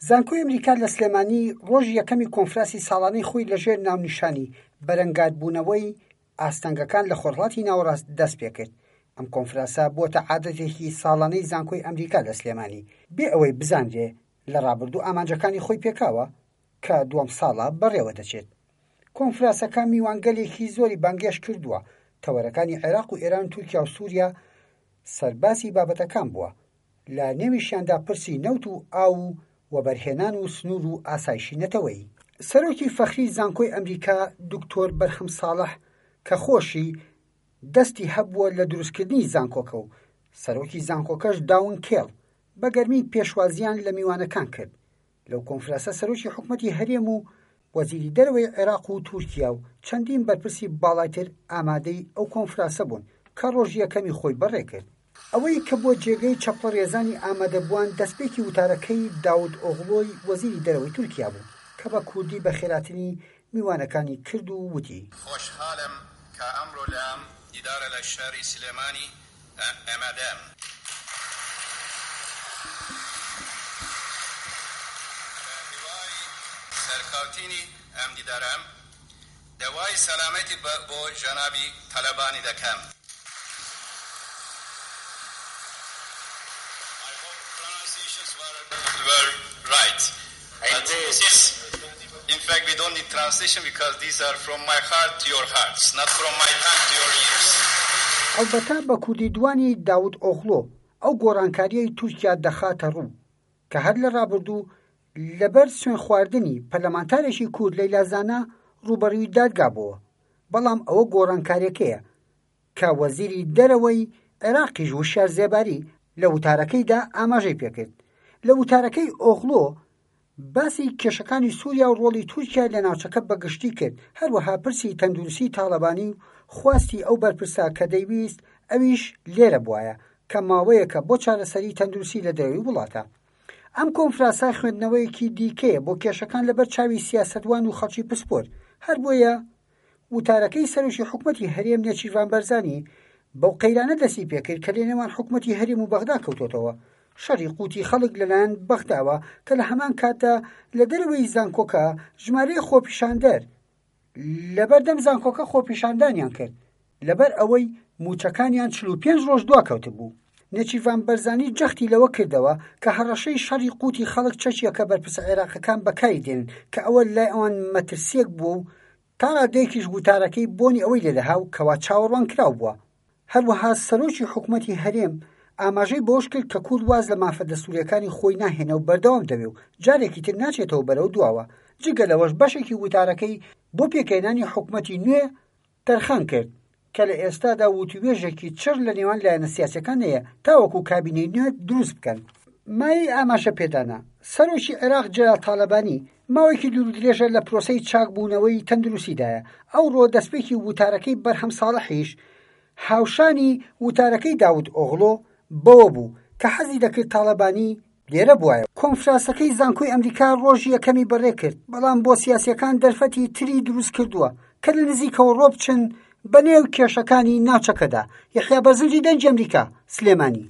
زانکۆی ئەمریکا لە سلێمانی ڕۆژی یەکەمی کۆنفراسی ساڵانەی خۆی لەژێر ناونیشانی بەرەنگاربوونەوەی ئاستەنگەکان لە خۆرهەڵاتی ناوەڕاست دەست پێکرد. ئەم کۆنفراسە بووەتە عادەتێکی ساڵانەی زانکۆی ئەمریکا لە سلێمانی، بێ ئەوەی بزانرێ لە ڕابردوو ئامانجەکانی خۆی پێکاوە کە دووەم ساڵە بەڕێوە دەچێت. کۆنفراسەکە میوانگەلێکی زۆری بانگێشت کردووە، تەوەرەکانی عێراق و ئێران و تورکیا و سووریا سەرباسی بابەتەکان بووە، لە نێویشیاندا پرسی نەوت و ئاو و وەبەرهێنان و سنوور و ئاسایشی نەتەوەیی. سەرۆکی فەخری زانکۆی ئەمریکا دکتۆر بەرهەم ساڵح کە خۆشی دەستی هەبووە لە دروستکردنی زانکۆکە و سەرۆکی زانکۆکەش داون کێڵ بە گەرمی پێشوازییان لە میوانەکان کرد. لەو کۆنفراسە سەرۆکی حکومەتی هەرێم و وەزیری دەرەوەی عێراق و تورکیا و چەندین بەرپرسی باڵای تر ئامادەی ئەو کۆنفراسە بوون کە ڕۆژی یەکەمی خۆی بەڕێکرد. ئەوەی کە بووە جێگەی چەپڵەڕێزانی ئامادەبووان دەستپێکی وتارەکەی داود ئۆغڵۆی وەزیری دەرەوەی تورکیا بوو کە بە کوردی بەخێراتنی میوانەکانی کرد و وتی. خۆشحاڵم کە ئەمڕۆ لە ئەم دیدارە لە شاری سلێمانی ئامادەم. بە هیوای سەرکەوتنی ئەم دیدارەم، داوای سەلامەتی بۆ جەنابی تالەبانی دەکەم. I hope pronunciations were right but this is in fact we don't need translation because these are from my heart to your hearts not from my tongue to your ears. ئەڵبەتە بە کوردی دوانی داود ئۆغڵۆ ئەو گۆڕانکارییەی تورکیا دەخاتە ڕوو کە هەر لە ڕابردوو لەبەر سوێندخواردنی پەرلەمانتارێکی کورد لەیلا زانا ڕووبەڕووی دادگا بۆوە، بەڵام ئەوە گۆڕانکارییەکەیە کە وەزیری دەرەوەی عێراقیش وشیار زێباری لە وتارەکەیدا ئاماژەی پێکرد. لە وتارەکەی ئۆغڵۆ باسی کێشەکانی سووریا و ڕۆڵی تورکیای لە ناوچەکە بە گشتی کرد، هەروەها پرسی تەندروستی تاڵەبانی و خواستی ئەو بەرپرسە کە دەیویست ئەویش لێرە بوایە کە ماوەیەکە بۆ چارەسەری تەندروستی لە دەرەوەی وڵاتە. ئەم کۆنفراسە خوێندنەوەیەکی دیکەیە بۆ کێشەکان لەبەر چاوی سیاسەتوان و خەڵکی پسپۆر، هەر بۆیە وتارەکەی سەرۆکی حکومەتی هەرێم نێچیرڤان بەرزانی بەو قەیرانە دەستی پێکرد کە لەنێوان حکومەتی هەرێم و بەغدا کەوتۆتەوە، شەڕی قوتی خەڵک لەلایەن بەغداوە کە لە هەمان کاتدا لە دەرەوەی زانکۆکە ژمارەیەک خۆپیشاندەر لەبەردەم زانکۆکە خۆپیشاندانیان کرد لەبەر ئەوەی مووچەکانیان 45 ڕۆژ دواکەوتبوو. نێچیرڤان بەرزانی جەختی لەوە کردەوە کە هەڕەشەی شەڕی قوتی خەڵک چەکێکە بەرپرسە عێراقەکان بەکاری دێنن کە ئەوە لای ئەوان مەترسییەک بووە و تا ڕادەیەکیش وتارەکەی بۆنی ئەوەی لێدەها و کەوا چاوەڕوانکراو بووە. هەروەها سەرۆکی حکومەتی هەرێم ئاماژەی بەوەش کرد کە کورد واز لە مافە دەستوورییەکانی خۆی ناهێنێ و بەردەوام دەبێ و جارێکی تر ناچێتەوە بەرەو دواوە، جگە لەوەش بەشێکی وتارەکەی بۆ پێکهێنانی حکومەتی نوێ تەرخان کرد کە لە ئێستادا وتووێژێکی چڕ لە نێوان لایەنە سیاسیەکان هەیە تاوەکو کابینەی نوێ دروست بکەن. مایەی ئاماژە پێدانە، سەرۆکی عێراق جەلال تالەبانی ماوەیەکی دوورودرێژە لە پرۆسەی چاکبوونەوەی تەندروستیدایە، ئەوڕۆ دەستپێکی وتارەکەی بەرهەم ساڵحیش هاوشانی وتارەکەی داود ئۆغڵۆ بەوە بوو کە حەزی دەکرد تاڵەبانی لێرە بوایە. کۆنفراسەکەی زانکۆی ئەمریکا ڕۆژی یەکەمی بەڕێکرد، بەڵام بۆ سیاسییەکان دەرفەتی تری دروستکردووە کە لە نزیکەوە ڕۆبچن بەنێو کێشەکانی ناوچەکەدا. یەحیا بەرزنجی دەنگی ئەمریکا، سلێمانی.